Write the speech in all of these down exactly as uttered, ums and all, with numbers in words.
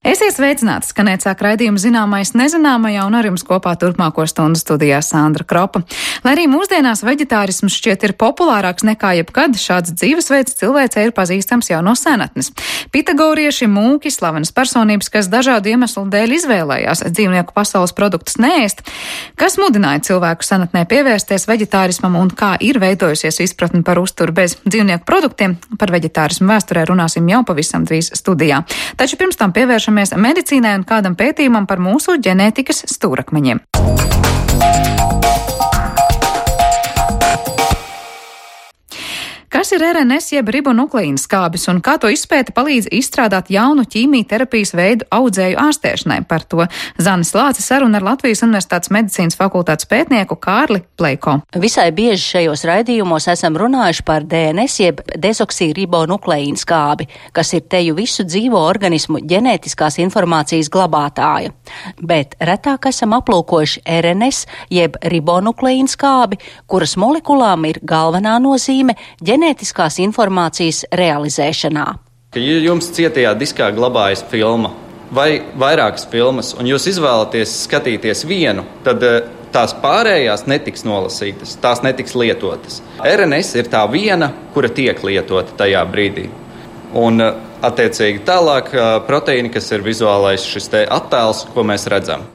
Esiet sveicināti, skanēt sāk raidījumu zināmais nezināmajā, un ar jums kopā turpmāko stundu studijā Sandra Kropa. Lai arī mūsdienās veģetārisms šķiet ir populārāks nekā jebkad, šāds dzīvesveids cilvēcei ir pazīstams jau no senatnes. Pitagorieši, mūki, slavenas personības, kas dažādu iemeslu dēļ izvēlējās dzīvnieku pasaules produktus neēst. Kas mudināja cilvēku senatnē pievērsties veģetārismam un kā ir veidojusies izpratni par uzturu bez dzīvnieku produktiem? Par veģetārismu vēsturē runāsim jau pavisam drīz studijā. Taču pirms tam pievēršamies medicīnai un kādam pētījumam par mūsu ģenētikas stūrakmeņiem. Kas ir R N S jeb ribonukleīna skābis un kā to izpēte palīdz izstrādāt jaunu ķīmijterapijas veidu audzēju ārstēšanai? Par to Zanis Lācis saruna ar Latvijas Universitātes medicīnas fakultātes pētnieku Kārli Pleiko. Visai bieži šajos raidījumos esam runājuši par D N S jeb dezoksiribonukleīna skābi, kas ir teju visu dzīvo organismu ģenētiskās informācijas glabātāja. Bet retāk esam aplūkojuši R N S jeb ribonukleīna skābi, kuras molekulām ir galvenā nozīme ģenētiskās informācijas realizēšanā. Ja jums cietajā diskā glabājas filma vai vairākas filmas, un jūs izvēlaties skatīties vienu, tad tās pārējās netiks nolasītas, tās netiks lietotas. R N S ir tā viena, kura tiek lietota tajā brīdī. Un attiecīgi tālāk proteīni, kas ir vizuālais šis te attēls, ko mēs redzam.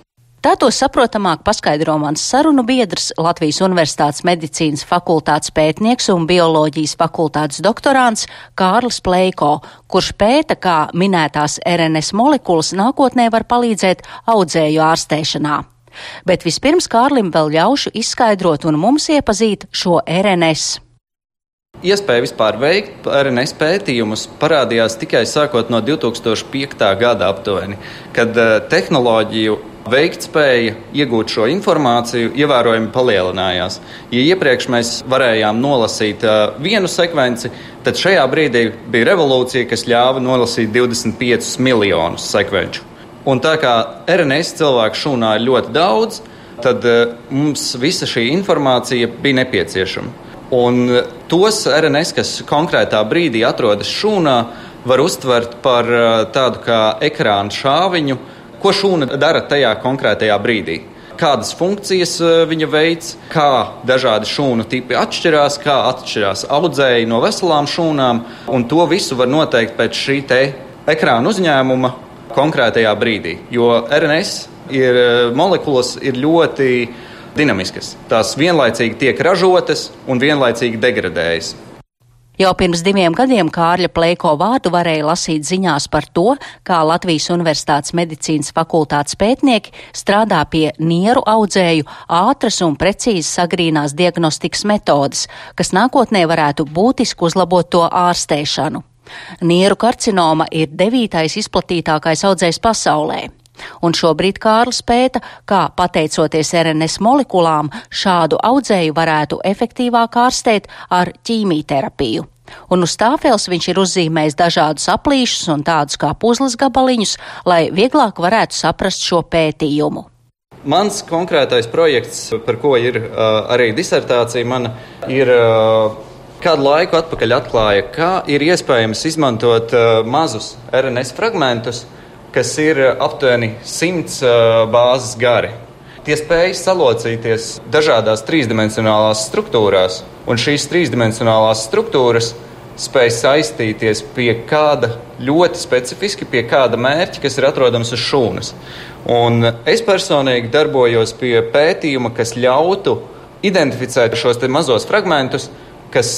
Tā to saprotamāk paskaidro mans sarunu biedrs, Latvijas Universitātes medicīnas fakultātes pētnieks un bioloģijas fakultātes doktorants Kārlis Pleiko, kurš pēta, kā minētās R N S molekulas nākotnē var palīdzēt audzēju ārstēšanā. Bet vispirms Kārlim vēl ļaušu izskaidrot un mums iepazīt šo R N S. Iespēja vispār veikt R N S pētījumus parādījās tikai sākot no divi tūkstoši piektā gada aptuveni, kad tehnoloģiju veiktspēja iegūt šo informāciju ievērojami palielinājās. Ja iepriekš mēs varējām nolasīt uh, vienu sekvenci, tad šajā brīdī bija revolūcija, kas ļāva nolasīt divdesmit piecus miljonus sekvenču. Un tā kā R N S cilvēku šūnā ir ļoti daudz, tad uh, mums visa šī informācija bija nepieciešama. Un uh, tos R N S, kas konkrētā brīdī atrodas šūnā, var uztvert par uh, tādu kā ekrāna šāviņu, ko šūna dara tajā konkrētajā brīdī. Kādas funkcijas viņa veids, kā dažādi šūnu tipi atšķirās, kā atšķirās audzēji no veselām šūnām, un to visu var noteikt pēc šī te ekrāna uzņēmuma konkrētajā brīdī. Jo R N S ir, molekulas ir ļoti dinamiskas. Tās vienlaicīgi tiek ražotas un vienlaicīgi degradējas. Jau pirms diviem gadiem Kārļa Pleiko vārdu varēja lasīt ziņās par to, kā Latvijas Universitātes medicīnas fakultātes pētnieki strādā pie nieru audzēju ātras un precīzi sagrīnās diagnostikas metodes, kas nākotnē varētu būtiski uzlabot to ārstēšanu. Nieru karcinoma ir devītais izplatītākais audzējs pasaulē. Un šobrīd Kārlis pēta, kā pateicoties R N S molekulām šādu audzēju varētu efektīvāk ārstēt ar ķīmijterapiju. Un uz tāfels viņš ir uzzīmējis dažādus aplīšus un tādus kā puzles gabaliņus, lai vieglāk varētu saprast šo pētījumu. Mans konkrētais projekts, par ko ir uh, arī disertācija mana, ir uh, kādu laiku atpakaļ atklāja, kā ir iespējams izmantot uh, mazus R N S fragmentus, kas ir aptuveni simts uh, bāzes gari. Tie spēj salocīties dažādās trīsdimensionālās struktūrās, un šīs trīsdimensionālās struktūras spēj saistīties pie kāda ļoti specifiski, pie kāda mērķa, kas ir atrodams uz šūnas. Un es personīgi darbojos pie pētījuma, kas ļautu identificēt šos te mazos fragmentus, kas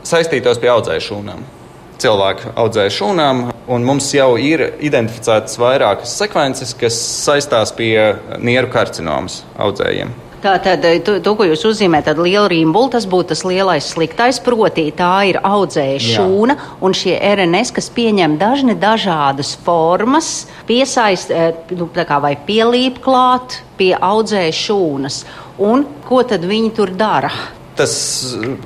saistītos pie audzēju šūnām. Cilvēku audzēju šūnām, un mums jau ir identificētas vairākas sekvences, kas saistās pie nieru karcinomas audzējiem. Tātad, to, to, ko jūs uzzīmē, tad liela rimbula, tas būtu tas lielais sliktais, proti tā ir audzēja šūna, un šie R N S, kas pieņem dažne dažādas formas, piesaist, nu, tā kā vai pielīp klāt pie audzēja šūnas. Un ko tad viņi tur dara? Tas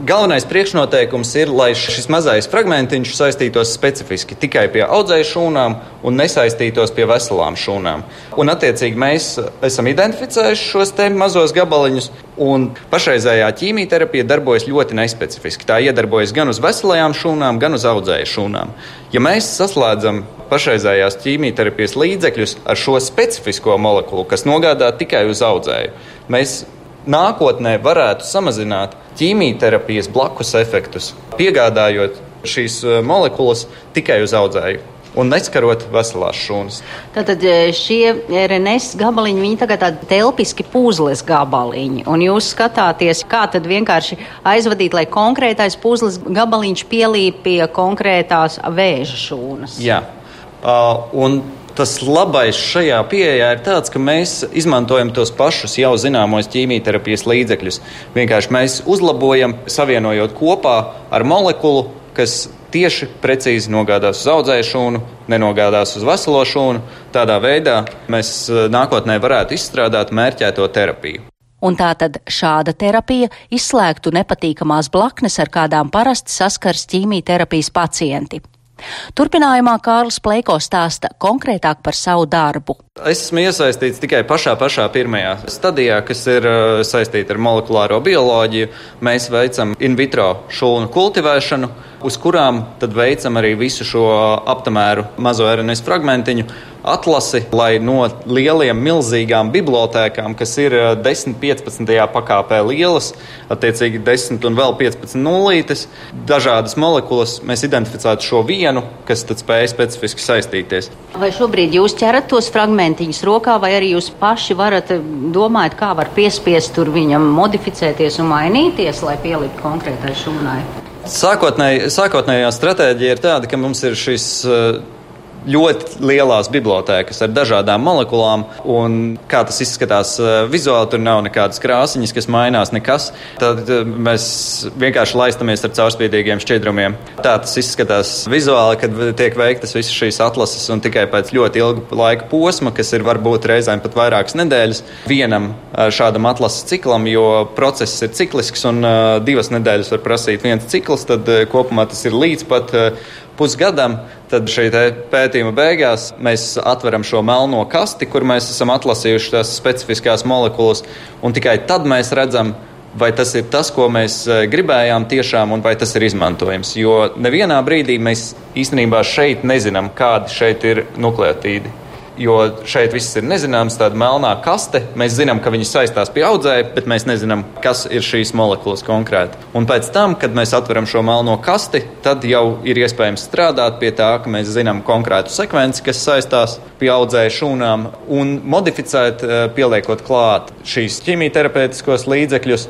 galvenais priekšnoteikums ir, lai šis mazais fragmentiņš saistītos specifiski tikai pie audzēju šūnām un nesaistītos pie veselām šūnām. Un attiecīgi mēs esam identificējuši šos te mazos gabaliņus, un pašreizējā ķīmijterapija darbojas ļoti nespecifiski. Tā iedarbojas gan uz veselajām šūnām, gan uz audzēju šūnām. Ja mēs saslēdzam pašreizējās ķīmijterapijas līdzekļus ar šo specifisko molekulu, kas nogādā tikai uz audzēju. Mēs nākotnē varētu samazināt ķīmijterapijas blakus efektus, piegādājot šīs molekulas tikai uz audzēju un neskarot veselās šūnas. Tātad šie R N S gabaliņi, viņi tagad tādi telpiski puzles gabaliņi, un jūs skatāties, kā tad vienkārši aizvadīt, lai konkrētais puzles gabaliņš pielīp pie konkrētās vēža šūnas. Jā, uh, un tas labais šajā pieejā ir tāds, ka mēs izmantojam tos pašus jau zināmos ķīmijterapijas līdzekļus. Vienkārši mēs uzlabojam, savienojot kopā ar molekulu, kas tieši precīzi nogādās uz audzēju šūnu, nenogādās uz veselo šūnu. Tādā veidā mēs nākotnē varētu izstrādāt mērķēto terapiju. Un tātad šāda terapija izslēgtu nepatīkamās blaknes, ar kādām parasti saskars ķīmijterapijas pacienti. Turpinājumā Kārlis Pleiko stāsta konkrētāk par savu darbu. Es esmu iesaistīts tikai pašā pašā pirmajā stadijā, kas ir uh, saistīta ar molekulāro bioloģiju. Mēs veicam in vitro šūnu kultivēšanu, uz kurām tad veicam arī visu šo aptamēru mazo R N S fragmentiņu atlasi, lai no lieliem milzīgām bibliotēkām, kas ir desmit piecpadsmitajā pakāpē lielas, attiecīgi desmit un vēl piecpadsmit nullītes, dažādas molekulas, mēs identificētu šo vienu, kas tad spēja specifiski saistīties. Vai šobrīd jūs ķerat tos fragmentiņus rokā, vai arī jūs paši varat domāt, kā var piespiest tur viņam modificēties un mainīties, lai pielikt konkrētai šūnai? Sākotnēj, sākotnējā stratēģija ir tāda, ka mums ir šis ļoti lielās bibliotēkas ar dažādām molekulām, un kā tas izskatās vizuāli, tur nav nekādas krāsiņas, kas mainās, nekas. Tad mēs vienkārši laistamies ar caurspīdīgiem šķidrumiem. Tā tas izskatās vizuāli, kad tiek veiktas visas šīs atlases, un tikai pēc ļoti ilga laika posma, kas ir varbūt reizēm pat vairākas nedēļas, vienam šādam atlases ciklam, jo process ir ciklisks, un divas nedēļas var prasīt viens cikls, tad kopumā tas ir līdz pat pusgadam. Tad šī pētījuma beigās mēs atveram šo melno kasti, kur mēs esam atlasījuši tās specifiskās molekulas, un tikai tad mēs redzam, vai tas ir tas, ko mēs gribējām tiešām, un vai tas ir izmantojams. Jo nevienā brīdī mēs īstenībā šeit nezinām, kādi šeit ir nukleotīdi. Jo šeit viss ir nezināms, tāda melnā kaste. Mēs zinām, ka viņi saistās pie audzēja, bet mēs nezinām, kas ir šīs molekulas konkrēti. Un pēc tam, kad mēs atveram šo melno kasti, tad jau ir iespējams strādāt pie tā, ka mēs zinām konkrētu sekvenci, kas saistās pie audzēja šūnām, un modificēt, pieliekot klāt šīs ķīmijterapeitiskos līdzekļus,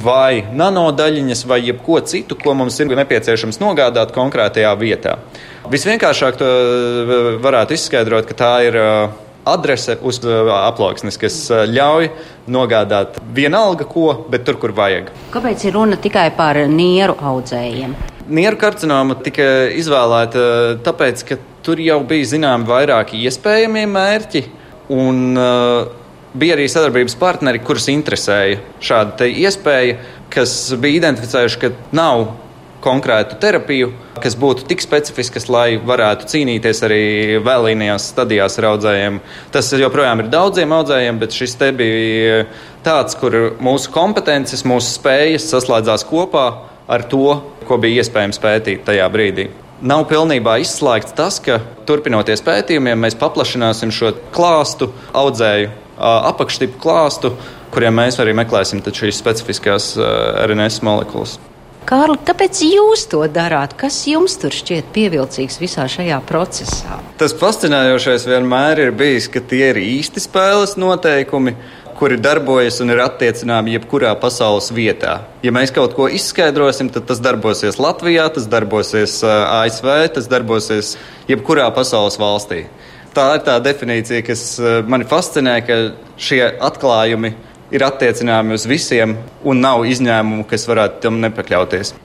vai nanodaļiņas, vai jebko citu, ko mums ir nepieciešams nogādāt konkrētajā vietā. Visvienkāršāk to varētu izskaidrot, ka tā ir adrese uz aploksnes, kas ļauj nogādāt vienalga ko, bet tur, kur vajag. Kāpēc ir runa tikai par nieru audzējiem? Nieru karcinoma tika izvēlēta tāpēc, ka tur jau bija zināmi vairāki iespējamie mērķi, un uh, bija arī sadarbības partneri, kurus interesēja šāda te iespēja, kas bija identificējuši, ka nav konkrētu terapiju, kas būtu tik specifiskas, lai varētu cīnīties arī vēlīnajās stadijās ar audzējiem. Tas joprojām ir daudziem audzējiem, bet šis te bija tāds, kur mūsu kompetences, mūsu spējas saslēdzās kopā ar to, ko bija iespējams pētīt tajā brīdī. Nav pilnībā izslēgts tas, ka turpinoties pētījumiem, mēs paplašināsim šo klāstu, audzēju apakštipu klāstu, kuriem mēs arī meklēsim šīs specifiskās R N S molekulas. Kārli, kāpēc jūs to darāt? Kas jums tur šķiet pievilcīgs visā šajā procesā? Tas fascinējošais vienmēr ir bijis, ka tie ir īsti spēles noteikumi, kuri darbojas un ir attiecināmi jebkurā pasaules vietā. Ja mēs kaut ko izskaidrosim, tad tas darbosies Latvijā, tas darbosies A S V, tas darbosies jebkurā pasaules valstī. Tā ir tā definīcija, kas mani fascinē, ka šie atklājumi ir attiecināmi uz visiem un nav izņēmumu, kas varētu tam nepakļauties.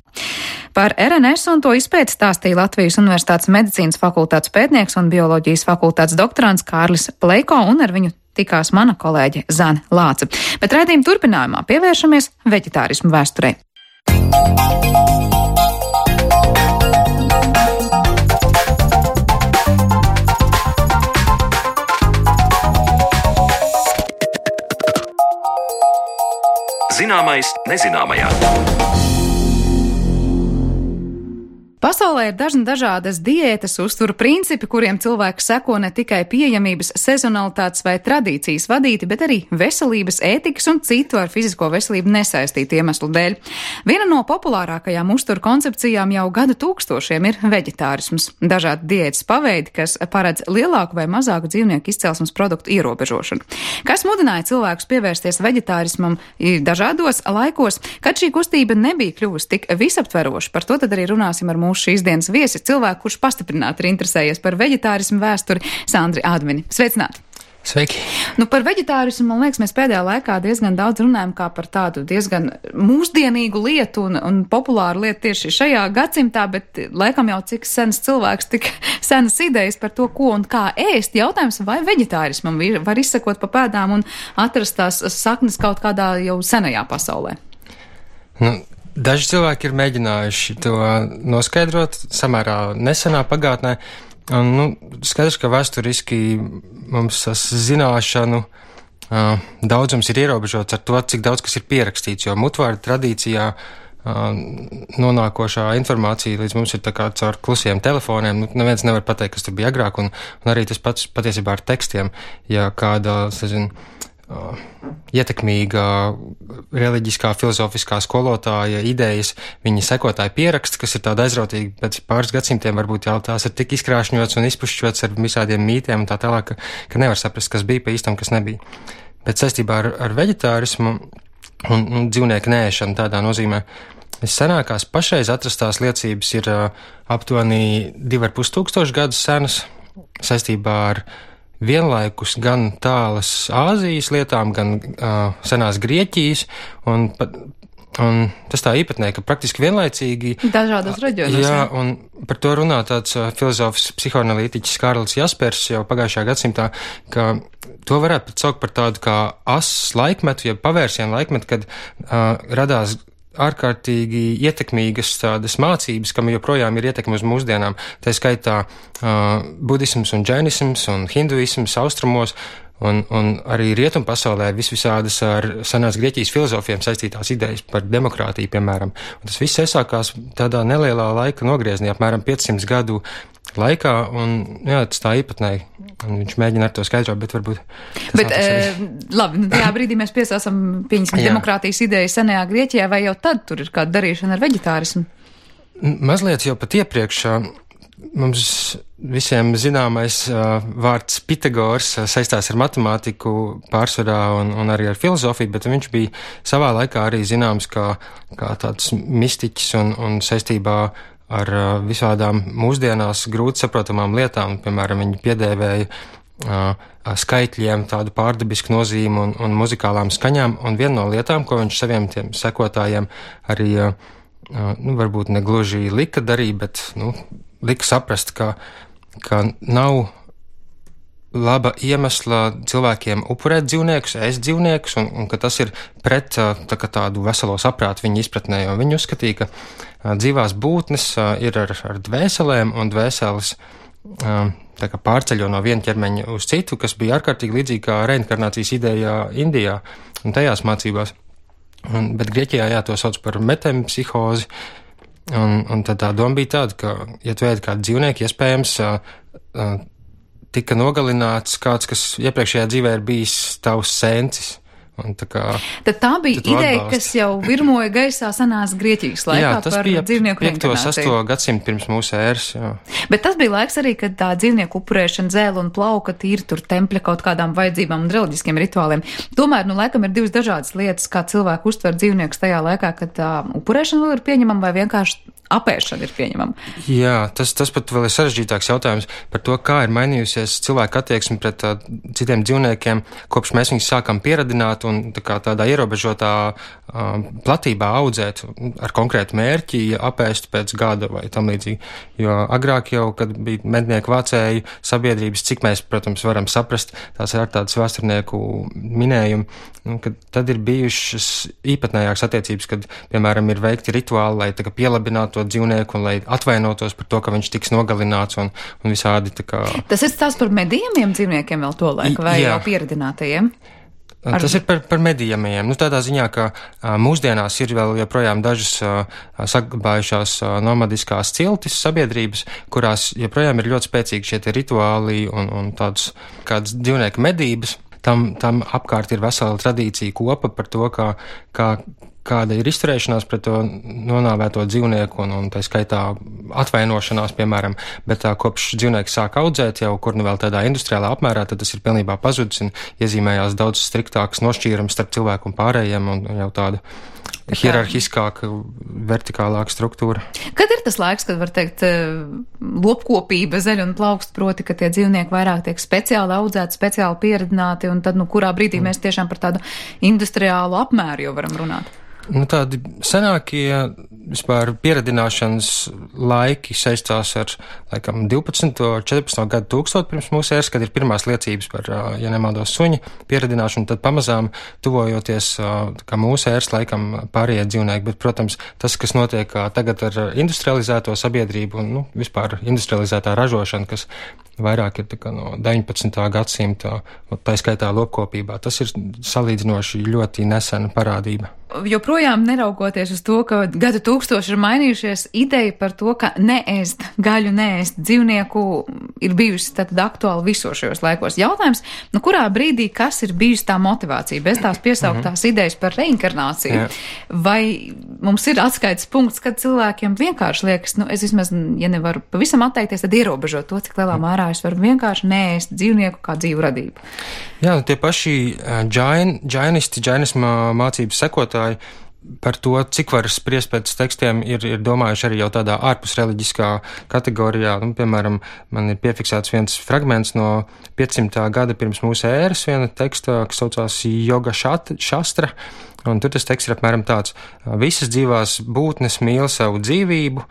Par R N S un to izpēti stāstīja Latvijas Universitātes medicīnas fakultātes pētnieks un bioloģijas fakultātes doktorants Kārlis Pleiko, un ar viņu tikās mana kolēģe Zane Lāce. Bet raidījuma turpinājumā pievēršamies veģetārismu vēsturei. Zināmais nezināmajā. Pasaulē ir dažna dažādas diētas, uzturu principi, kuriem cilvēks seko ne tikai pieejamības, sezonalitātes vai tradīcijas vadīti, bet arī veselības, ētikas un citu ar fizisko veselību nesaistītu iemeslu dēļ. Viena no populārākajām uzturu koncepcijām jau gadu tūkstošiem ir veģetārisms. Dažādi diētas paveidi, kas paredz lielāku vai mazāku dzīvnieku izcelsmes produktu ierobežošanu. Kas mudināja cilvēkus pievērsties veģetārismam dažādos laikos, kad šī kustība nebija kļuvusi tik visaptveroša? Par to tad arī runāsim ar mūsu šīs dienas viesi, cilvēku, kurš pastiprināti ir interesējies par veģetārismu vēsturi, Sandri Admini. Sveicināti! Sveiki! Nu, par veģetārismu, man liekas, mēs pēdējā laikā diezgan daudz runājam kā par tādu diezgan mūsdienīgu lietu un, un populāru lietu tieši šajā gadsimtā, bet laikam jau cik sens cilvēks, tik senas idejas par to, ko un kā ēst. Jautājums, vai veģetārismam var izsekot pa pēdām un atrast tās saknes kaut kādā jau senajā pasaulē? Nu, daži cilvēki ir mēģinājuši to noskaidrot samērā nesenā pagātnē. Un, nu, skaidrs, ka vēsturiski mums tas zināšanu uh, daudzums ir ierobežots ar to, cik daudz kas ir pierakstīts, jo mutvārdu tradīcijā uh, nonākošā informācija līdz mums ir tā kā caur klusiem telefoniem. Nu, neviens nevar pateikt, kas tur bija agrāk, un, un arī tas pats patiesībā ar tekstiem. Ja kāda, sazin, uh, ietekmīga reliģiskā, filozofiskā skolotāja idejas, viņa sekotāji pieraksts, kas ir tāda aizrautīgi pēc pāris gadsimtiem, varbūt jau tās ir tik izkrāšņots un izpušķots ar visādiem mītiem un tā tālāk, ka, ka nevar saprast, kas bija pa īstam, kas nebija. Bet saistībā ar, ar veģetārismu un, un dzīvnieku nēšanu tādā nozīmē, vissenākās pašreiz atrastās liecības ir uh, aptuveni divi ar pus tūkstoši gadus senas saistībā ar vienlaikus gan tālas Āzijas lietām, gan uh, senās Grieķijas, un, un tas tā īpatnē, ka praktiski vienlaicīgi... Dažādos reģionos. Jā, un par to runā tāds uh, filozofs, psihoanalītiķis Kārlis Jaspers jau pagājušajā gadsimtā, ka to varētu pat saukt par tādu kā asas laikmetu, ja pavērsienu laikmetu, kad uh, radās ārkārtīgi ietekmīgas tādas mācības, kam joprojām ir ietekme uz mūsdienām. Tā skaitā uh, budisms un džainisms un hinduisms austrumos, un, un arī rietumu pasaulē visvisādas ar senās Grieķijas filozofiem saistītās idejas par demokrātiju, piemēram. Un tas viss iesākās tādā nelielā laika nogriezienī, apmēram piecsimt gadu laikā, un jā, tas tā īpatnēji. Un viņš mēģina ar to skaidrot, bet varbūt... Bet, e, labi, nu tajā brīdī mēs piesāsam pieņemsim demokrātijas ideju senajā Grieķijā, vai jau tad tur ir kāda darīšana ar veģetārismu? Mazliet jau pat iepriekš mums visiem zināmais uh, vārds Pitagors uh, saistās ar matemātiku pārsvarā un, un arī ar filozofiju, bet viņš bija savā laikā arī zināms kā, kā tāds mistiķis un, un saistībā ar uh, visādām mūsdienās grūti saprotamām lietām. Piemēram, viņi piedēvēja uh, skaitļiem tādu pārdabisku nozīmi un, un muzikālām skaņām, un viena no lietām, ko viņš saviem tiem sekotājiem arī, uh, uh, nu, varbūt negluži lika darīt, bet, nu, lika saprast, ka, ka nav laba iemesla cilvēkiem upurēt dzīvniekus, ēst dzīvniekus, un, un ka tas ir pret tā, tādu veselo saprātu viņa izpratnē, jo viņi uzskatīja, ka a, dzīvās būtnes a, ir ar, ar dvēselēm, un dvēseles a, tā kā pārceļo no viena ķermeņa uz citu, kas bija ārkārtīgi līdzīgi kā reinkarnācijas ideja Indijā un tajās mācībās. Un, bet Grieķijā, jā, to sauc par metempsihozi, un, un tad tā doma bija tāda, ka, ja tu ēd kādu dzīvnieku, iespējams, a, a, tika nogalināts kāds, kas iepriekšējā dzīvē ir bijis tavs sencis. Un tā kā, tad tā bija ideja, kas jau virmoja gaisā senās Grieķijas laikā jā, par dzīvnieku reinkarnāciju. piekto sesto gadsimtu pirms mūsu ēras, jā. Bet tas bija laiks arī, kad tā dzīvnieku upurēšana, zēle un plauka tīri tur tempļa kaut kādām vajadzībām un reliģiskiem rituāliem. Tomēr, nu, laikam ir divas dažādas lietas, kā cilvēku uztver dzīvniekus tajā laikā, kad tā upurēšana vēl ir pieņemama vai vienkārši apēšana ir pieņemama. Jā, tas, tas pat vēl ir sarežģītāks jautājums par to, kā ir mainījusies cilvēka attieksme pret uh, citiem dzīvniekiem, kopš mēs viņus sākam pieradināt un tā kā tādā ierobežotā uh, platībā audzēt ar konkrētu mērķi, apēst pēc gada vai tam līdzīgi. Jo agrāk jau, kad bija mednieku vācēju sabiedrības, cik mēs, protams, varam saprast, tās ir ar tādas vēsturnieku minējumi, kad tad ir bijušas īpatnējākas attiecības, kad, piemēram, ir veikti rituāli, lai tā kā pielabinātu dzīvnieku un lai atvainotos par to, ka viņš tiks nogalināts un, un visādi tā kā... Tas ir stāsts par medījumiem dzīvniekiem vēl to laiku vai jā. Jau pieradinātajiem? Ar... Tas ir par, par medījumiem. Nu, tādā ziņā, ka a, mūsdienās ir vēl joprojām dažas a, saglabājušās a, nomadiskās ciltis sabiedrības, kurās joprojām ir ļoti spēcīgi šie rituāli un, un tādas kādas dzīvnieku medības. Tam, tam apkārt ir vesela tradīcija kopa par to, kā, kā, kāda ir izturēšanās pret to nonāvēto dzīvnieku un, un tā skaitā atvainošanās, piemēram, bet tā kopš dzīvnieki sāk audzēt jau kur nu vēl tādā industriālā apmērā, tad tas ir pilnībā pazudis un iezīmējās daudz striktāks nošķīrums starp cilvēku un pārējiem un jau tāda hierarhiskāka, vertikālāka struktūra. Kad ir tas laiks, kad var teikt lopkopība zeļ un plaukst, proti, ka tie dzīvnieki vairāk tiek speciāli audzēti, speciāli pieredzināti, un tad, nu, kurā brīdī mm. mēs tiešām par tādu industriālu apmēru jau varam runāt? Nu, tādi senākie vispār pieredināšanas laiki saistās ar, laikam, divpadsmito, četrpadsmito gadu tūkstotu pirms mūsu ēras, kad ir pirmās liecības par, ja nemaldos, suņa pieredināšanu, tad pamazām tuvojoties kā mūsu ēras laikam pārējie dzīvnieki, bet, protams, tas, kas notiek tagad ar industrializēto sabiedrību un, nu, vispār industrializētā ražošana, kas vairāk ir tā kā no deviņpadsmitā gadsimta, tā skaitā lopkopībā, tas ir salīdzinoši ļoti nesena parādība. Joprojām neraugoties uz to, ka gadu tūkstoši ir mainījušies, ideja par to, ka neēst gaļu, neēst dzīvnieku ir bijusi tātad aktuāli visos šajos laikos. Jautājums, nu kurā brīdī kas ir bijusi tā motivācija, bez tās piesauktās mm-hmm. idejas par reinkarnāciju? Jā. Vai mums ir atskaites punkts, kad cilvēkiem vienkārši liekas, nu es vismaz, ja nevaru pavisam atteikties, tad ierobežot to, cik lielā mērā es varu vienkārši neēst dzīvnieku kā dzīvu radību? Jā, tie paši džain, džainisti, džainisma mācības sekotāji par to, cik var spriest pēc tekstiem, ir, ir domājuši arī jau tādā ārpus reliģiskā kategorijā. Nu, piemēram, man ir piefiksēts viens fragments no piecsimtā gada pirms mūsu ēras, viena teksta, kas saucās Yoga Šastra, un tur tas teksts ir apmēram tāds: visas dzīvās būtnes mīl savu dzīvību,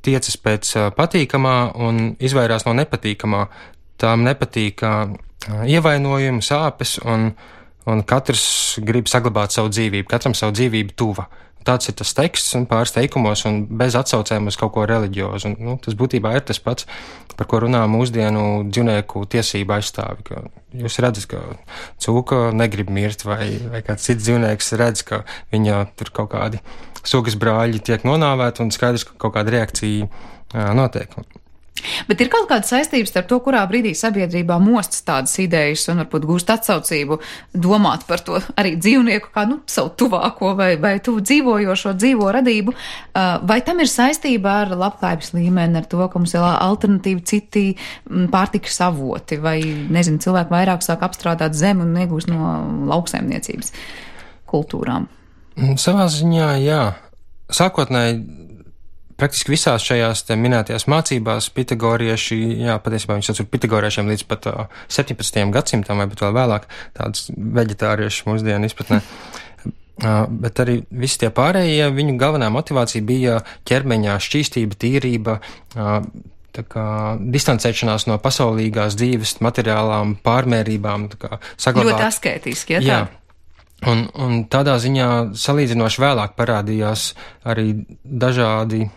tiecas pēc patīkamā un izvairās no nepatīkamā. Tām nepatīk ievainojumi, sāpes, un, un katrs grib saglabāt savu dzīvību, katram savu dzīvību tuva. Tāds ir tas teksts un pāris teikumos un bez atsaucēm uz kaut ko reliģiozu. Un, nu, tas būtībā ir tas pats, par ko runā mūsdienu dzīvnieku tiesību aizstāvi. Ka jūs redzat, ka cūka negrib mirt, vai, vai kāds cits dzīvnieks redz, ka viņa tur kaut kādi sugas brāļi tiek nonāvēti un skaidrs, ka kaut kāda reakcija jā, notiek. Bet ir kaut kāda saistības ar to, kurā brīdī sabiedrībā mostas tādas idejas un varbūt gūst atsaucību domāt par to arī dzīvnieku kā, nu, savu tuvāko vai, vai tuvu dzīvojošo dzīvo radību. Vai tam ir saistība ar labklājības līmeni, ar to, ka mums ir alternatīvi citi pārtikas avoti, vai, nezinu, cilvēki vairāk sāk apstrādāt zemi un iegūst no lauksaimniecības kultūrām? Savā ziņā, jā. Sākotnēji praktiski visās šajās te minētajās mācībās pitagorieši, jā, patiesībā viņi sauc par pitagoriešiem līdz pat uh, septiņpadsmitajam gadsimtam vai pat vēl vēlāk, tāds veģetārieši mūsdienu izpratnē. Uh, bet arī visi tie pārējie, viņu galvenā motivācija bija ķermeņa šķīstība, tīrība, uh, tā kā distancēšanās no pasaulīgās dzīves, materiālām pārmērībām, tā kā saglabāt. Ļoti askētiski, ja tā? Jā. Un, un tādā ziņā salīdzinoši vēlāk parādījās arī dažādi,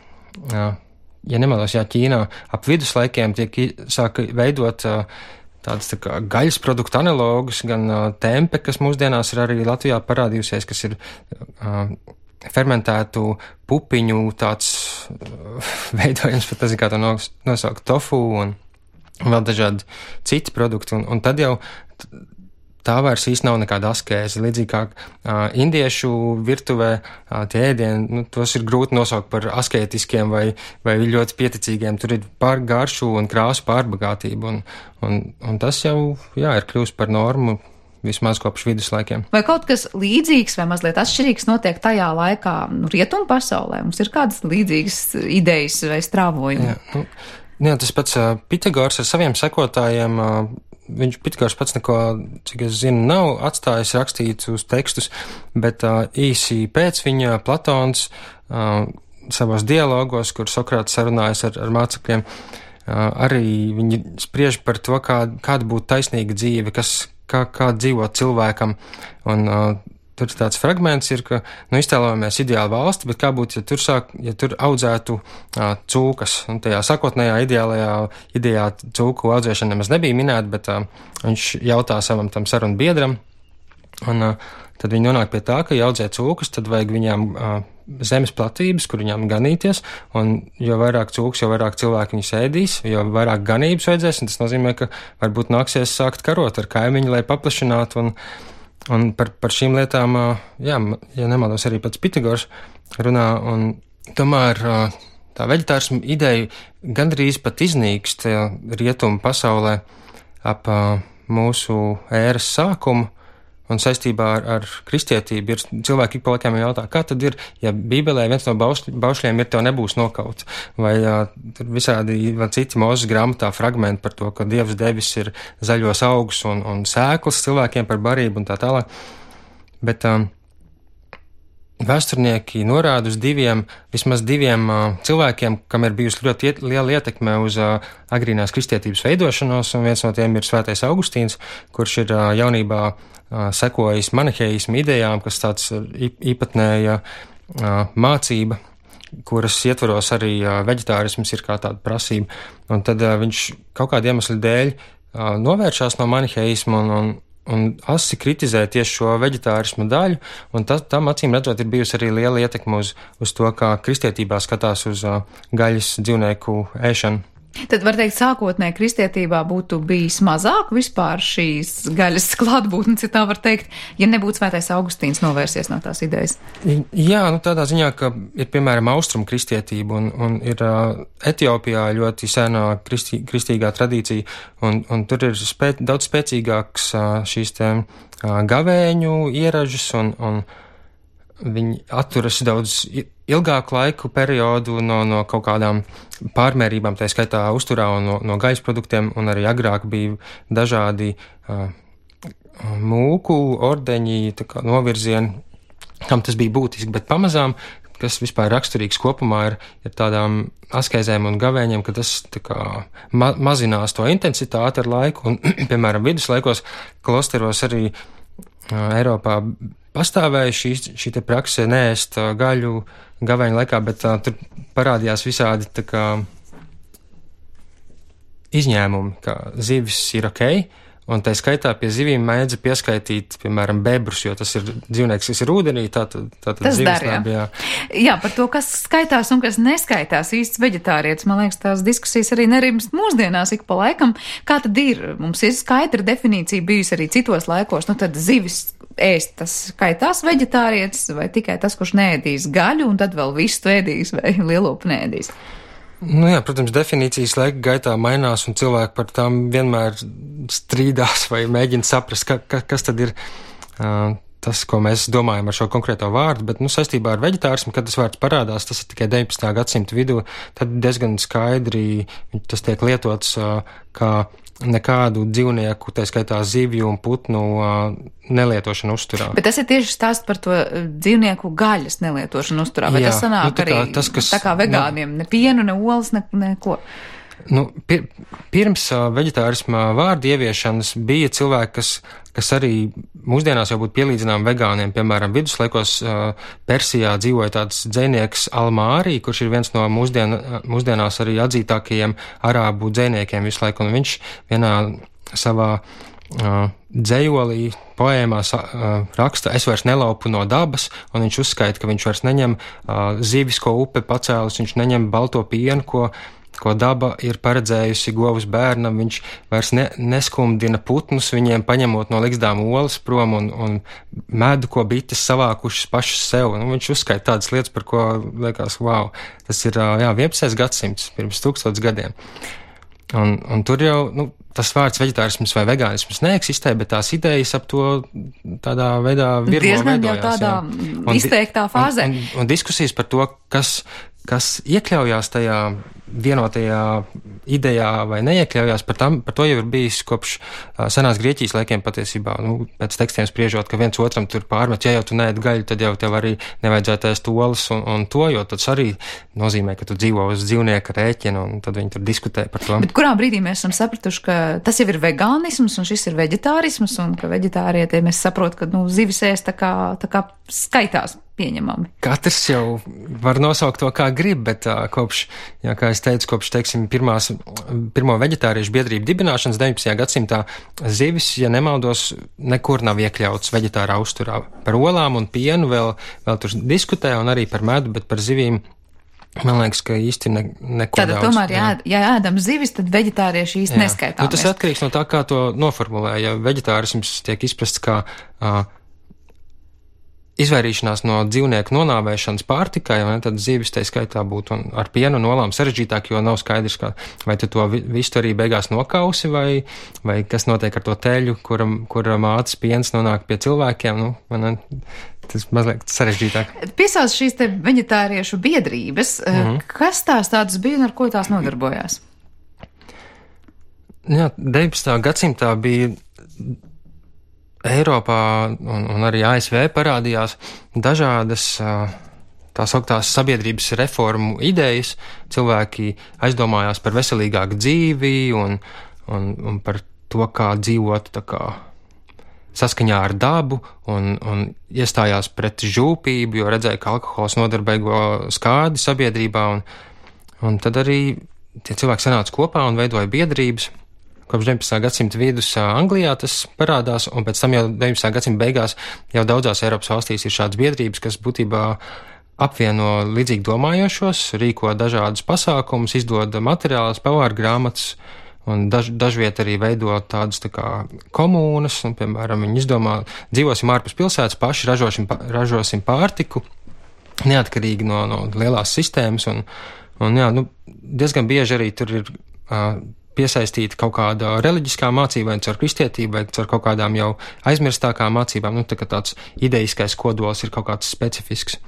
ja nemaldos, jā, Ķīnā ap viduslaikiem tiek sāka veidot tādas tā kā gaļas produktu analogus, gan tempe, kas mūsdienās ir arī Latvijā parādījusies, kas ir fermentētu pupiņu tāds veidojums, pat nezinu, kā to nosaukt, tofu un vēl dažādi citi produkti. Un, un tad jau tā vairs īsti nav nekāda askēze. Līdzīgi kā uh, indiešu virtuvē uh, tie ēdieni, nu, tos ir grūti nosaukt par askētiskiem vai, vai ļoti pieticīgiem. Tur ir pār garšu un krāsu pārbagātība, un, un, un tas jau, jā, ir kļūst par normu vismaz kopš viduslaikiem. Vai kaut kas līdzīgs vai mazliet atšķirīgs notiek tajā laikā, nu, rietumu pasaulē? Mums ir kādas līdzīgas idejas vai strāvojumi? Jā, nu, jā, tas pats uh, Pitagors ar saviem sekotājiem, uh, viņš Pitagors pats neko, cik es zinu, nav atstājis rakstīts uz tekstus, bet uh, īsi pēc viņa Platons uh, savos dialogos, kur Sokrāts sarunājas ar, ar mācekļiem, uh, arī viņi spriež par to, kā, kāda būtu taisnīga dzīve, kas, kā, kā dzīvot cilvēkam, un uh, tur tāds fragments ir, ka, nu, iztēlojamies ideālu valsti, bet kā būtu, ja tur, sāk, ja tur audzētu uh, cūkas. Un tajā sakotnējā ideālajā idejā cūku audzēšana nemaz nebija minēta, bet uh, viņš jautā savam tam sarunu biedram, Un uh, tad viņi nonāk pie tā, ka, ja audzē cūkus, tad vajag viņām uh, zemes platības, kur viņām ganīties, un jo vairāk cūks, jo vairāk cilvēku viņus ēdīs, jo vairāk ganības vajadzēs, un tas nozīmē, ka varbūt nāksies sākt karot ar kaimiņu, lai paplašinātu, un, un par, par šīm lietām, jā, ja nemaldos, arī pats Pitagors runā, un tomēr tā veģetārismu ideja gandrīz pat iznīkst rietumu pasaulē ap mūsu ēras sākumu. Un saistībā ar, ar kristietību ir cilvēki ik pa laikam jautā, kā tad ir, ja Bībelē viens no baušļ, baušļiem ir tev nebūs nokauts, vai jā, visādi vai citi Mūzes grāmatā fragmenti par to, ka Dievs devis ir zaļos augus un, un sēklas cilvēkiem par barību un tā tālāk. Bet um, vēsturnieki norāda uz diviem, vismaz diviem uh, cilvēkiem, kam ir bijusi ļoti iet, liela ietekme uz uh, agrīnās kristietības veidošanos, un viens no tiem ir Svētais Augustīns, kurš ir uh, jaunībā sekojis maniheismu idejām, kas tāds īpatnēja mācība, kuras ietvaros arī veģetārisms ir kā tāda prasība. Un tad viņš kaut kādu iemeslu dēļ novēršās no maniheismu un, un, un asi kritizē tieši šo veģetārismu daļu, un tas, tam acīm redzot ir bijusi arī liela ietekme uz, uz to, kā kristietībā skatās uz gaļas dzīvnieku ēšanu. Tad var teikt, sākotnēji kristietībā būtu bijis mazāk vispār šīs gaļas klātbūtnes, ja tā var teikt, ja nebūtu Svētais Augustīns novērsies no tās idejas. Jā, nu tādā ziņā, ka ir piemēram austrumu kristietība un, un ir uh, Etiopijā ļoti senā kristī, kristīgā tradīcija, un, un tur ir spē, daudz spēcīgāks uh, šīs te uh, gavēņu ieražas un, un viņi atturas daudz ilgāku laiku periodu no, no kaut kādām pārmērībām, tā skaitā uzturā un no, no gaļas produktiem, un arī agrāk bija dažādi uh, mūku, ordeņi, tā kā novirzieni, kam tas bija būtiski, bet pamazām, kas vispār raksturīgs kopumā ir, ir tādām askezēm un gavēņiem, ka tas tā kā ma mazinās to intensitāti ar laiku, un, piemēram, viduslaikos klosteros arī uh, Eiropā pastāvēja šī, šī te prakse neēst gaļu gavēņu laikā, bet uh, tur parādījās visādi tā kā izņēmumi, ka zivis ir ok, un tā skaitā pie zivīm mēdza pieskaitīt, piemēram, bebrus, jo tas ir dzīvnieks, kas ir ūdenī, tātad tā, tā, zivis labi, jā. Jā, par to, kas skaitās un kas neskaitās īsts veģetārietis, man liekas, tās diskusijas arī nerimst mūsdienās ik pa laikam. Kā tad ir? Mums ir skaidra definīcija bijusi arī citos laikos, nu tad zivis ēst, tas skaitās veģetārietis vai tikai tas, kurš neēdīs gaļu un tad vēl visu ēdīs vai lielopu neēdīs? Nu jā, protams, definīcijas laika gaitā mainās un cilvēki par tām vienmēr strīdās vai mēģina saprast, ka, ka, kas tad ir uh, tas, ko mēs domājam ar šo konkrēto vārdu, bet, nu, saistībā ar veģetārismu, kad tas vārds parādās, tas ir tikai deviņpadsmitā gadsimta vidū, tad diezgan skaidri tas tiek lietots uh, kā nekādu dzīvnieku, tā skaitā zivju un putnu uh, nelietošanu uzturā. Bet tas ir tieši stāsts par to dzīvnieku gaļas nelietošanu uzturā, vai Jā, tas sanāk nu, tā kā, arī tas, kas, tā kā vegāniem, nu, ne pienu, ne olas, ne, neko? Nu, pir, pirms uh, veģetārisma vārdu ieviešanas bija cilvēki, kas, kas arī mūsdienās jau būtu pielīdzinām vegāniem. Piemēram, viduslaikos uh, Persijā dzīvoja tāds dzejnieks Almārī, kurš ir viens no mūsdien, mūsdienās arī atzītākajiem arābu dzejniekiem visu laiku, un viņš vienā savā uh, dzejolī, poēmā uh, raksta, es vairs nelaupu no dabas, un viņš uzskaita, ka viņš vairs neņem uh, zivis, ko upe pacēlus, viņš neņem balto pienu, ko ko daba ir paredzējusi govs bērnam, viņš vairs ne, neskumdina putnus, viņiem paņemot no ligzdām olas prom un, un medu, ko bites savākušas pašas sev. Nu, viņš uzskaita tādas lietas, par ko liekas, wow, tas ir, jā, vienpadsmitais gadsimts, pirms tūkstotis gadiem. Un, un tur jau, nu, tas vārds veģetārisms vai vegānisms neeksistē, bet tās idejas ap to tādā veidā virmo diezgan veidojās. Diezgan jau tādā un, izteiktā fāzē. Un, un, un diskusijas par to, kas, kas iekļaujās tajā vienotajā idejā vai neiekļaujās, par, tam, par to jau ir bijis kopš uh, senās Grieķijas laikiem patiesībā. Nu, pēc tekstiem spriežot, ka viens otram tur pārmet, ja jau tu neēd gaļu, tad jau tev arī nevajadzētu ēst olas un, un to, jo tas arī nozīmē, ka tu dzīvo uz dzīvnieka rēķina, un tad viņi tur diskutē par to. Bet kurā brīdī mēs esam sapratuši, ka tas jau ir vegānisms un šis ir veģetārisms, un ka veģetārietiem es saprotu, ka, nu, zivis ēst tā kā, tā kā skaitās pieņemami? Katrs jau var nosaukt to, kā grib, bet uh, kopš, jā, kā es teicu, kopš, teiksim, pirmās, pirmo veģetāriešu biedrību dibināšanas deviņpadsmitajā gadsimtā zivis, ja nemaldos, nekur nav iekļauts veģetārā uzturā. Par olām un pienu vēl, vēl tur diskutē un arī par medu, bet par zivīm, man liekas, ka īsti ne, neko Tātad daudz. tomēr, jā, ja ēdam zivis, tad veģetārieši īsti neskaitāmies. Nu, tas atkarīgs no tā, kā to noformulē. Ja veģetārisms tiek izprasts kā uh, izvairīšanās no dzīvnieku nonāvēšanas pārtikai, vai ne, tad zivis tai skaitā būtu un ar pienu un olām sarežģītāk, jo nav skaidrs, kā, vai tu to visu arī beigās nokausi, vai, vai kas notiek ar to teļu, kura, kura mātes piens nonāk pie cilvēkiem, nu, vai ne, tas mazliet sarežģītāk. Piesauc šīs te veģetāriešu biedrības, Mhm. kas tās tādas bija un ar ko tās nodarbojās? Jā, deviņpadsmitajā gadsimtā bija Eiropā un, un arī A S V parādījās dažādas tā sauktās sabiedrības reformu idejas. Cilvēki aizdomājās par veselīgāku dzīvi un, un, un par to, kā dzīvot tā kā saskaņā ar dabu, un, un iestājās pret žūpību, jo redzēja, ka alkohols nodarbēgo skādi sabiedrībā, un, un tad arī tie cilvēki sanāca kopā un veidoja biedrības. Kopš deviņpadsmitā gadsimta vidus Anglijā tas parādās, un pēc tam jau deviņpadsmitā gadsimta beigās jau daudzās Eiropas valstīs ir šādas biedrības, kas būtībā apvieno līdzīgi domājošos, rīko dažādus pasākumus, izdod materiālus, pavāru grāmatas, un daž, dažviet arī veido tādas tā kā komūnas, un, piemēram, viņi izdomā, dzīvosim ārpus pilsētas, paši ražosim, ražosim pārtiku, neatkarīgi no, no lielās sistēmas, un, un jā, nu, diezgan bieži arī tur ir uh, piesaistīta kaut kāda reliģiskā mācība, vai caur kristietību, vai caur kaut kādām jau aizmirstākām mācībām, nu, tā kā tāds ideiskais kodols ir kaut kāds specifisks.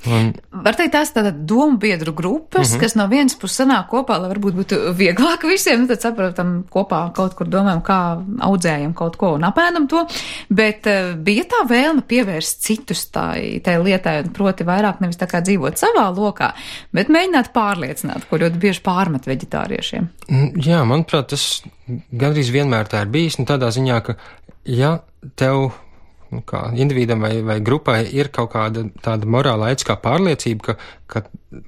Un, Var teikt, tās tāda domu biedru grupas, uh-huh. kas no vienas puses sanāk kopā, lai varbūt būtu vieglāk visiem, nu tad saprotam kopā kaut kur domājam, kā audzējam kaut ko un apēdam to, bet uh, bija tā vēlme pievērst citus tai, tai lietai, un proti vairāk nevis tā kā dzīvot savā lokā, bet mēģināt pārliecināt, ko ļoti bieži pārmet veģetāriešiem. Jā, manuprāt, tas gandrīz vienmēr tā ir bijis, nu tādā ziņā, ka ja tev nu, kā individam vai, vai grupai ir kaut kāda tāda morāla ētiskā pārliecība, ka, ka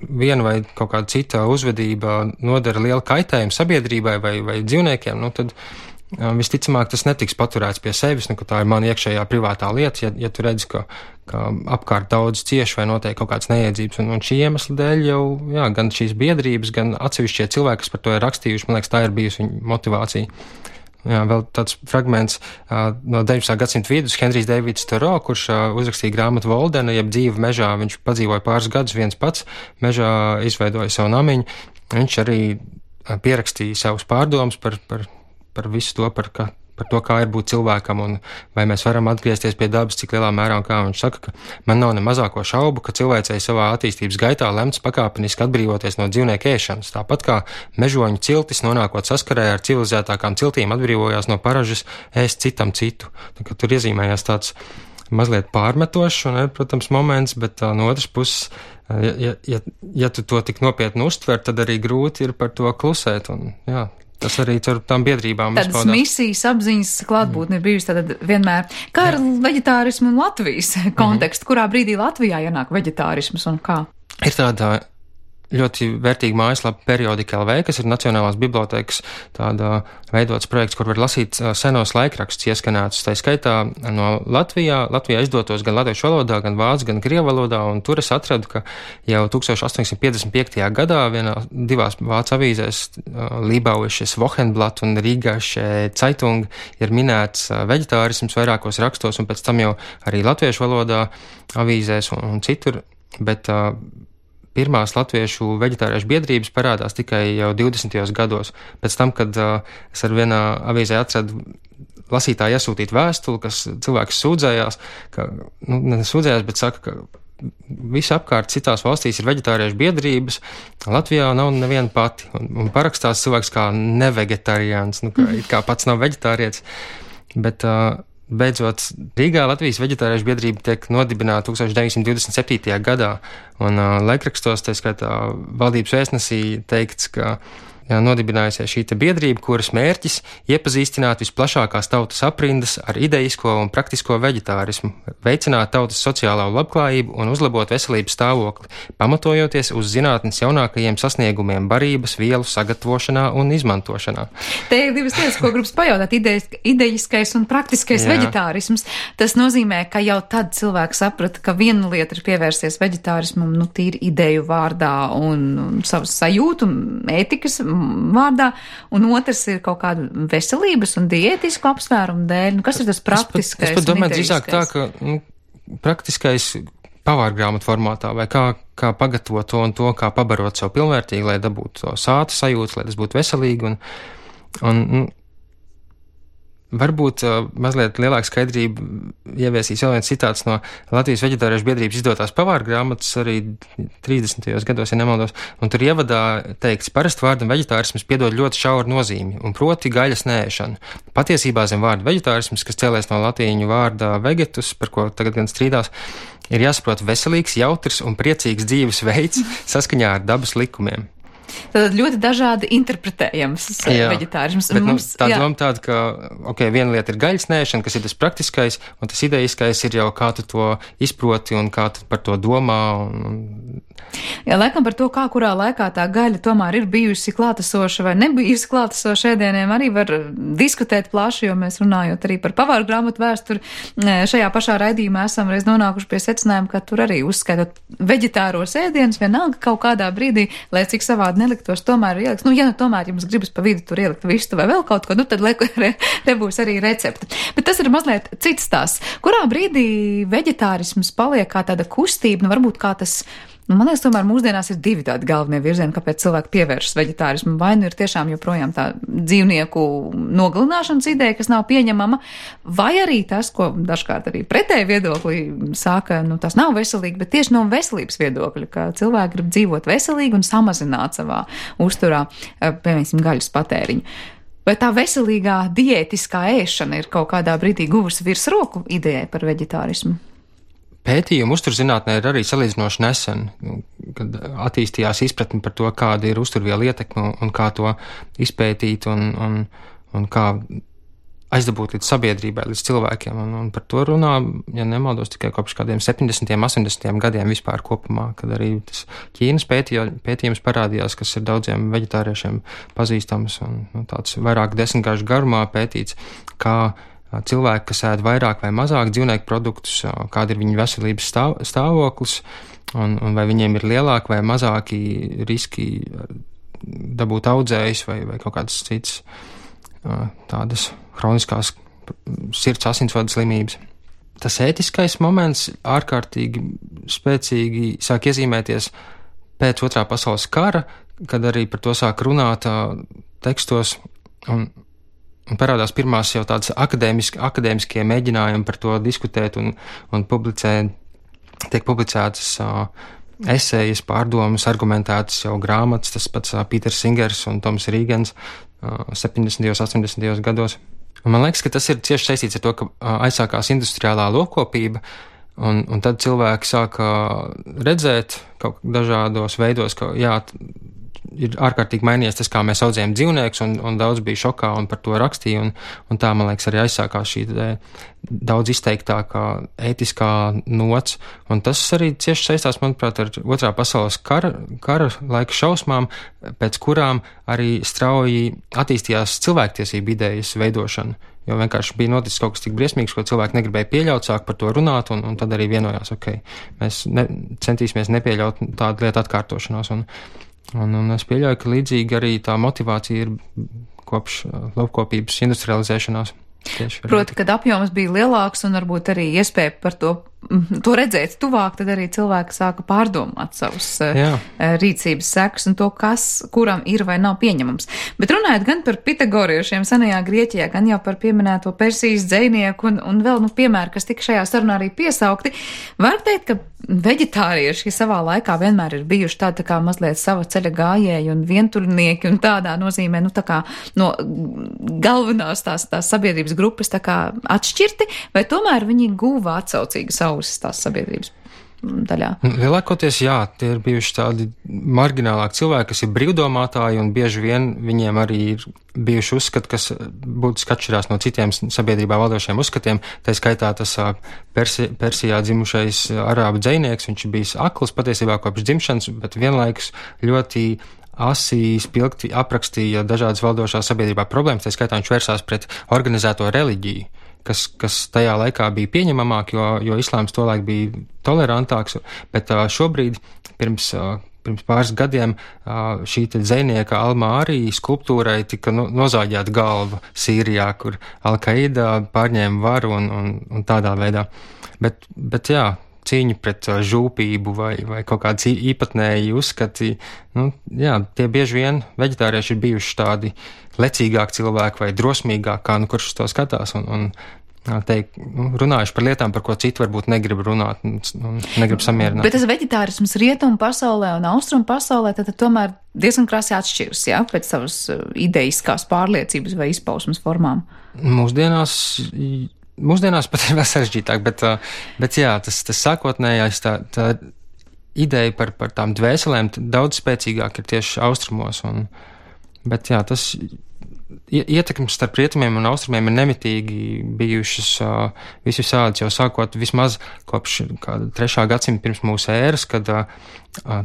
viena vai kaut kāda cita uzvedība nodara lielu kaitējumu sabiedrībai vai, vai dzīvniekiem, nu tad um, visticamāk tas netiks paturēts pie sevis, nu, ka tā ir mana iekšējā privātā lieta, ja, ja tu redzi, ka, ka apkārt daudz cieši vai notiek kaut kāds neiedzības, un, un šī iemesla dēļ jau, jā, gan šīs biedrības, gan atsevišķie cilvēki, kas par to ir rakstījuši, man liekas, tā ir bijusi viņa motivācija. Jā, vēl tāds fragments uh, no deviņpadsmitā gadsimta vidus, Henrijs Deivids Toro, kurš uh, uzrakstīja grāmatu Voldena, jeb dzīve mežā. Viņš padzīvoja pāris gadus viens pats, mežā izveidoja savu namiņu. Viņš arī uh, pierakstīja savus pārdomus par, par, par visu to, par, ka, par to, kā ir būt cilvēkam un vai mēs varam atgriezties pie dabas, cik lielā mērā un kā. Viņš saka, ka man nav ne mazāko šaubu, ka cilvēcei savā attīstības gaitā lemts pakāpeniski atbrīvoties no dzīvnieku ēšanas. Tāpat kā mežoņu ciltis nonākot saskarē ar civilizētākām ciltīm atbrīvojās no paražas ēst citam citu. Tā, ka tur iezīmējās tāds mazliet pārmetošs un, protams, moments, bet uh, no otras puses, uh, ja, ja, ja tu to tik nopietni uztver, tad arī grūti ir par to klusēt un, jā. Tas arī ar tām biedrībām tādas izpaudās. misijas apziņas klātbūtne ir bijusi tad vienmēr. Kā ar veģetārismu un Latvijas kontekstu? Kurā brīdī Latvijā ienāk veģetārisms un kā? Ir tāda ļoti vērtīga mājaslapa Periodika L V, kas ir Nacionālās bibliotēkas tāda veidots projekts, kur var lasīt senos laikrakstus ieskanētus. Tā skaitā no Latvijā, Latvijā izdotos gan latviešu valodā, gan vācu, gan krievu valodā, un tur es atradu, ka jau tukstovš astoņsimt piecdesmit piektajā gadā vienā divās vācu avīzēs Lībauisches Wochenblatt un Rīgasche Zeitung ir minēts veģetārisms vairākos rakstos, un pēc tam jau arī latviešu valodā avīzēs un, un citur, bet uh, pirmās latviešu veģetāriešu biedrības parādās tikai jau divdesmitajos gados. Pēc tam, kad uh, es ar vienā avīzē atradu lasītāju iesūtīt vēstuli, kas cilvēks sūdzējās, ka, nu, ne sūdzējās, bet saka, ka visi apkārt citās valstīs ir veģetāriešu biedrības, Latvijā nav neviena pati. Un, un parakstās cilvēks kā nevegetariāns, nu, kā, kā pats nav veģetārietis, bet uh, beidzot, Rīgā Latvijas veģetāriešu biedrība tiek nodibināta tūkstoš deviņsimt divdesmit septītajā gadā, un uh, laikrakstos, tā skaitā valdības vēstnesī teikts, ka jā, nodibinājusies šī biedrība, kuras mērķis iepazīstināt visplašākās tautas aprindas ar ideisko un praktisko veģetārismu, veicināt tautas sociālo labklājību un uzlabot veselības stāvokli, pamatojoties uz zinātnes jaunākajiem sasniegumiem barības, vielu sagatavošanā un izmantošanā. Te ir divas lietas, ko gribas pajautāt, idejiskais un praktiskais jā. Veģetārisms. Tas nozīmē, ka jau tad cilvēks saprata, ka viena lieta ir pievērsties veģetārismam, nu, tīri ideju vārdā un, un savas sajūtu, ētikas vārdā, un otrs ir kaut kāda veselības un diētisku apsvērumu dēļ. Nu, kas ir tas praktiskais? Es pat domāju drīzāk tā, ka nu, praktiskais pavārgrāmatu formātā, vai kā, kā pagatavot to un to, kā pabarot savu pilnvērtīgi, lai dabūtu to sāta sajūtu, lai tas būtu veselīgi, un, un nu, varbūt uh, mazliet lielāka skaidrība ieviesīs vēl viens citāts no Latvijas veģetāriešu biedrības izdotās pavāru grāmatas arī trīsdesmitajos gados, ja nemaldos, un tur ievadā teikts, parasti vārdam veģetārisms piedod ļoti šauru nozīmi, un proti gaļas neēšanu. Patiesībā zem vārda veģetārisms, kas cēlies no latīņu vārda vegetus, par ko tagad gan strīdās, ir jāsaprot veselīgs, jautrs un priecīgs dzīves veids saskaņā ar dabas likumiem. Tad ļoti dažādi interpretējams veģetārisms. Bet, mums, nu, tā doma tāda, ka, ok, viena lieta ir gaļas nēšana, kas ir tas praktiskais, un tas idejiskais ir jau kā tu to izproti un kā tu par to domā. Un, un... Jā, laikam par to, kā kurā laikā tā gaļa tomēr ir bijusi klātesoša vai nebijusi klātesoša ēdieniem, arī var diskutēt plaši, jo mēs runājot arī par pavāru grāmatu vēsturi, šajā pašā raidījumā esam reiz nonākuši pie secinājuma, ka tur arī uzskaitot veģetāros ēdienus, vienalga kaut kādā brīdī, lai cik savādi neliktos, tomēr ir ieliks. Nu, ja nu tomēr jums gribas pa vidu tur ielikt vistu vai vēl kaut ko, nu tad liek, re, re būs arī recepte. Bet tas ir mazliet cits tās. Kurā brīdī veģetārisms paliek kā tāda kustība, nu varbūt kā tas, nu man liekas, tomēr mūsdienās ir divi tādi galvenie virzieni, kāpēc cilvēki pievēršas veģetārismu. Vai nu ir tiešām joprojām tā dzīvnieku nogalināšanas ideja, kas nav pieņemama, vai arī tas, ko dažkārt arī pretēji viedoklī sāka, nu tas nav veselīgi, bet tieši no veselības viedokļa, ka cilvēki grib dzīvot veselīgi un samazināt savā uzturā, piemēram, gaļas patēriņu. Vai tā veselīgā diētiskā ēšana ir kaut kādā brīdī guvusi virsroku idejai par veģetārismu? Pētījumi uzturzinātnē ir arī salīdzinoši nesen, kad attīstījās izpratni par to, kāda ir uzturviela ietekme un kā to izpētīt un, un, un kā aizdabūt līdz sabiedrībai, līdz cilvēkiem. Un, un par to runā, ja nemaldos, tikai kopš kādiem septiņdesmitiem, astoņdesmitiem gadiem vispār kopumā, kad arī tas Ķīnas pētījā, pētījums parādījās, kas ir daudziem veģetāriešiem pazīstams un nu, tāds vairāk desmitgāžu garumā pētīts, kā cilvēki, kas ēd vairāk vai mazāk dzīvnieku produktus, kāda ir viņu veselības stāv, stāvoklis, un, un vai viņiem ir lielāki vai mazāki riski dabūt audzējus vai, vai kaut kādas citas tādas hroniskās sirds asinsvadu slimības. Tas ētiskais moments ārkārtīgi spēcīgi sāk iezīmēties pēc otrā pasaules kara, kad arī par to sāk runāt tekstos un Un parādās pirmās jau tādas akadēmiski, akadēmiskie mēģinājumi par to diskutēt un, un publicē, tiek publicētas uh, esejas, pārdomas, argumentētas jau grāmatas, tas pats uh, Pīters Singers un Toms Rīgens uh, septiņdesmitajos, astoņdesmitajos gados. Un man liekas, ka tas ir cieši saistīts ar to, ka uh, aizsākās industriālā lopkopība, un, un tad cilvēki sāka redzēt kaut dažādos veidos, ka jā, ir ārkārtīgi mainījies tas, kā mēs audzējam dzīvniekus, un, un daudz bija šokā un par to rakstīja, un, un tā, man liekas, arī aizsākās šī daudz izteiktākā ētiskā nots, un tas arī cieši saistās, manuprāt, ar otrā pasaules kara, kara laika šausmām, pēc kurām arī strauji attīstījās cilvēktiesību idejas veidošana, jo vienkārši bija noticis kaut kas tik briesmīgs, ko cilvēki negribēja pieļaut, sāk par to runāt, un, un tad arī vienojās, ok, mēs ne, centīsimies nepieļaut tādu lietu atkārtošanos, un Un, un es pieļauju, ka līdzīgi arī tā motivācija ir kopš lopkopības industrializēšanās. Proti, kad apjoms bija lielāks un varbūt arī iespēja par to, to redzēt tuvāk, tad arī cilvēki sāka pārdomāt savus Jā. rīcības sekas un to, kas kuram ir vai nav pieņemams. Bet runājot gan par pitagoriešiem senajā Grieķijā, gan jau par pieminēto Persijas dzejnieku un, un vēl, nu, piemēri, kas tika šajā sarunā arī piesaukti, var teikt, ka veģetārieši savā laikā vienmēr ir bijuši tādi tā kā mazliet sava ceļa gājēji un vientuļnieki un tādā nozīmē, nu, tā kā no galvenās tās, tās sabiedrības grupas tā kā atšķirti, vai tomēr viņi guva atsaucīgas ausis tās sabiedrības? daļā? Lielākoties jā, tie ir bijuši tādi marginālāki cilvēki, kas ir brīvdomātāji, un bieži vien viņiem arī ir bijuši uzskati, kas būtiski atšķirās no citiem sabiedrībā valdošiem uzskatiem. Tā skaitā tas Persi, Persijā dzimušais arābu dzejnieks, viņš ir bijis akls patiesībā kopš dzimšanas, bet vienlaikus ļoti asi spilgti aprakstīja dažādas valdošās sabiedrībā problēmas, tā skaitā viņš vērsās pret organizēto reliģiju, kas, kas tajā laikā bija pieņemamāk, jo, jo islāms tolaik bija tolerantāks, bet šobrīd, pirms, pirms pāris gadiem, šī te dzejnieka Al-Mārī skulptūrai tika no, nozāģēta galva Sīrijā, kur Al-Qaida pārņēma varu un, un, un tādā veidā. Bet, bet jā, cīņa pret žūpību vai, vai kaut kāds īpatnēji uzskati, nu, jā, tie bieži vien veģetārieši ir bijuši tādi lecīgāki cilvēki vai drosmīgāki, kā nu kurš uz to skatās, un, un teikt, nu, runājuši par lietām, par ko citi varbūt negrib runāt un, un negrib samierināt. Bet tas veģetārisms rietumu pasaulē un austrumu pasaulē tad, tad tomēr diezgan krasi atšķiras, jā, pēc savas ideiskās pārliecības vai izpausmes formām. Mūsdienās Mūsdienās pat ir vēl sarežģītāk, bet, bet jā, tas, tas sākotnējais, tā, tā ideja par, par tām dvēselēm daudz spēcīgāk ir tieši austrumos, un, bet jā, tas ietekmes starp rietumiem un austrumiem ir nemitīgi bijušas uh, visu sādas jau sākot vismaz kopš kāda trešā gadsimta pirms mūsu ēras, kad uh,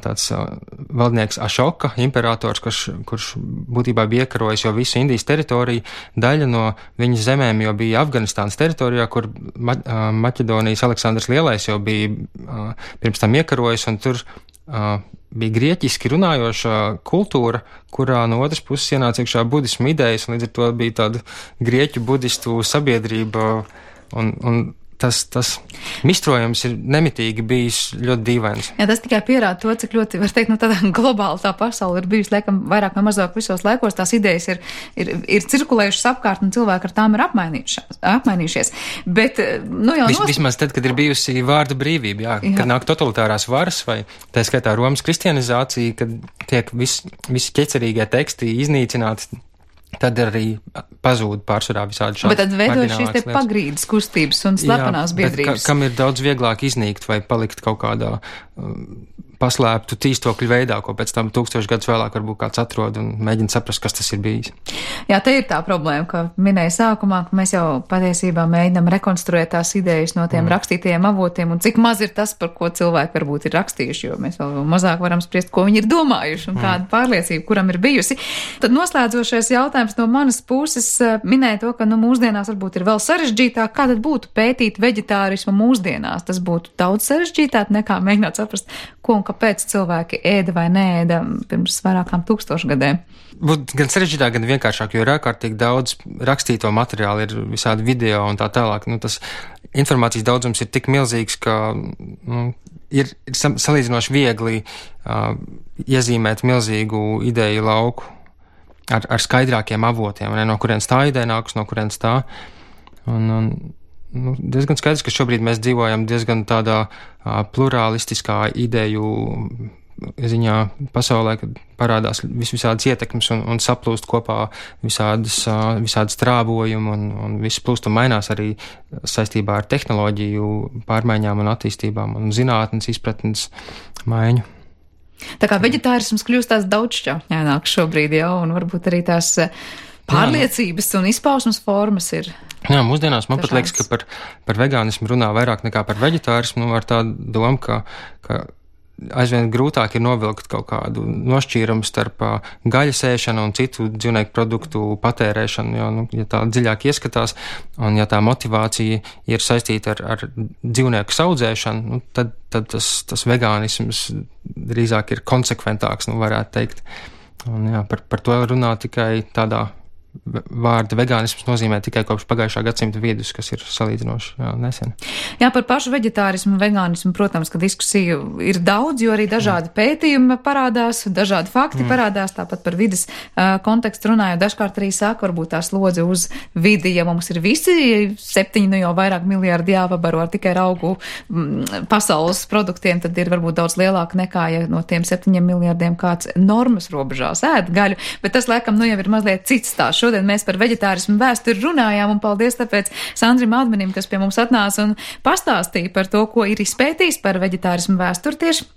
tāds uh, valdnieks Ašoka, imperators, kurš, kurš būtībā bija iekarojis jau visu Indijas teritoriju, daļa no viņa zemēm jau bija Afganistānas teritorijā, kur Ma uh, Maķedonijas Aleksandrs Lielais jau bija uh, pirms tam iekarojis, un tur uh, bija grieķiski runājoša kultūra, kurā no otras puses ienāca iekšā budismu idejas, un līdz ar to bija tāda grieķu budistu sabiedrība, un, un tas, tas mistrojums ir nemitīgi bijis ļoti dīvains. Jā, tas tikai pierāda to, cik ļoti, var teikt, nu tādā globāli tā pasaule ir bijusi, laikam, vairāk vai mazāk visos laikos, tās idejas ir, ir, ir cirkulējušas apkārt, un cilvēki ar tām ir apmainījušies. Bet, nu jau Vis, nost... Vismaz tad, kad ir bijusi vārda brīvība, jā, jā. Kad nāk totalitārās varas, vai tā skaitā Romas kristianizācija, kad tiek vis, visi ķecerīgie teksti iznīcināti, tad arī pazūd pārsvarā visādi šādi. Bet tad veidojas šīs te pagrīdes kustības un slepenās jā, biedrības. Ka, kam ir daudz vieglāk iznīkt vai palikt kaut kādā um, paslēptu tīstokļu veidā, ko pēc tam tūkstoši gadus vēlāk varbūt kāds atrod un mēģina saprast, kas tas ir bijis. Jā, te ir tā problēma, ka minēja sākumā, ka mēs jau patiesībā mēģinam rekonstruēt tās idejas no tiem mm. rakstītajiem avotiem, un cik maz ir tas, par ko cilvēki varbūt ir rakstījuši, jo mēs vēl mazāk varam spriest, ko viņi ir domājuši un mm. kāda pārliecība, kuram ir bijusi. Tad noslēdzošais jautājums no manas puses minēja to, ka nu, mūsdienās varbūt ir vēl sarežģītāk. Kā tad būtu pētīt veģetārismu mūsdienās? Tas būtu daudz sarežģītāk nekā mēģināt saprast, ko un kāpēc cilvēki ēda vai neēda pirms vairākām tūkstošu gadiem. Būtu gan sarežģītāk, gan vienkāršāk, jo ir ārkārtīgi daudz rakstīto materiālu, ir visādi video un tā tālāk. Nu, tas informācijas daudzums ir tik milzīgs, ka nu, ir, ir salīdzinoši viegli uh, iezīmēt milzīgu ideju lauku ar, ar skaidrākiem avotiem, ne, no kurienes tā ideja nākus, no kurienes tā. Un, un, nu, diezgan skaidrs, ka šobrīd mēs dzīvojam diezgan tādā uh, plurālistiskā ideju ziņā pasaulē, kad parādās vis visādas ietekmes un, un saplūst kopā visādas, uh, visādas trāvojumi un, un viss plūst un mainās arī saistībā ar tehnoloģiju pārmaiņām un attīstībām un zinātnes izpratnes maiņu. Tā kā veģetārisms kļūst tās daudzšķautņaināks šobrīd jau, un varbūt arī tās pārliecības un izpausmes formas ir. Jā, mūsdienās man pat liekas, ka par, par vegānismu runā vairāk nekā par veģetārismu, ar tādu domu, ka, ka aizvien grūtāk ir novilkt kaut kādu nošķīrumu starp gaļas ēšanu un citu dzīvnieku produktu patērēšanu, jo, nu, ja tā dziļāk ieskatās, un ja tā motivācija ir saistīta ar, ar dzīvnieku audzēšanu, nu, tad, tad tas, tas vegānisms drīzāk ir konsekventāks, nu, varētu teikt. Un, jā, par, par to runā tikai tādā vārda vegānisms nozīmē tikai kopš pagājušā gadsimta vidus, kas ir salīdzinoši jā, nesen. Jā, par pašu veģetārismu un vegānismu, protams, ka diskusiju ir daudz, jo arī dažādi pētījumi parādās, dažādi fakti mm. parādās, tāpat par vides uh, kontekstu runājot. Dažkārt arī saka, varbūt tā slodze uz vidi, ja mums ir visi septiņi, nu jau vairāk miljārdi jāvabaro ar tikai augu mm, pasaules produktiem, tad ir varbūt daudz lielāka nekā, ja no tiem septiņiem miljārdiem kāds normas robežās ēd gaļu, bet tas, laikam, nu jau ir mazliet cits stāsts. šodien mēs par veģetārismu vēsturi runājām, un paldies tāpēc Sandrim Admenim, kas pie mums atnāca un pastāstīja par to, ko ir izpētījis par veģetārismu vēsturi tieši.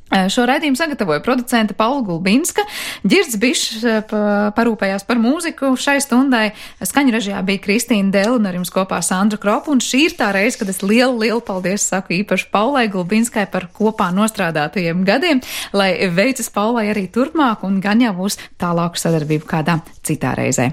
Šo raidījumu sagatavoja producente Paula Gulbinska, Ģirds Bišs parūpējās par mūziku šai stundai, skaņu režijā bija Kristīna Dēla un ar jums kopā Sandra Kropa, un šī ir tā reize, kad es lielu, lielu paldies saku īpaši Paulai Gulbinskai par kopā nostrādātajiem gadiem, lai veicas Paulai arī turpmāk un gan jau uz tālāku sadarbību kādā citā reizē.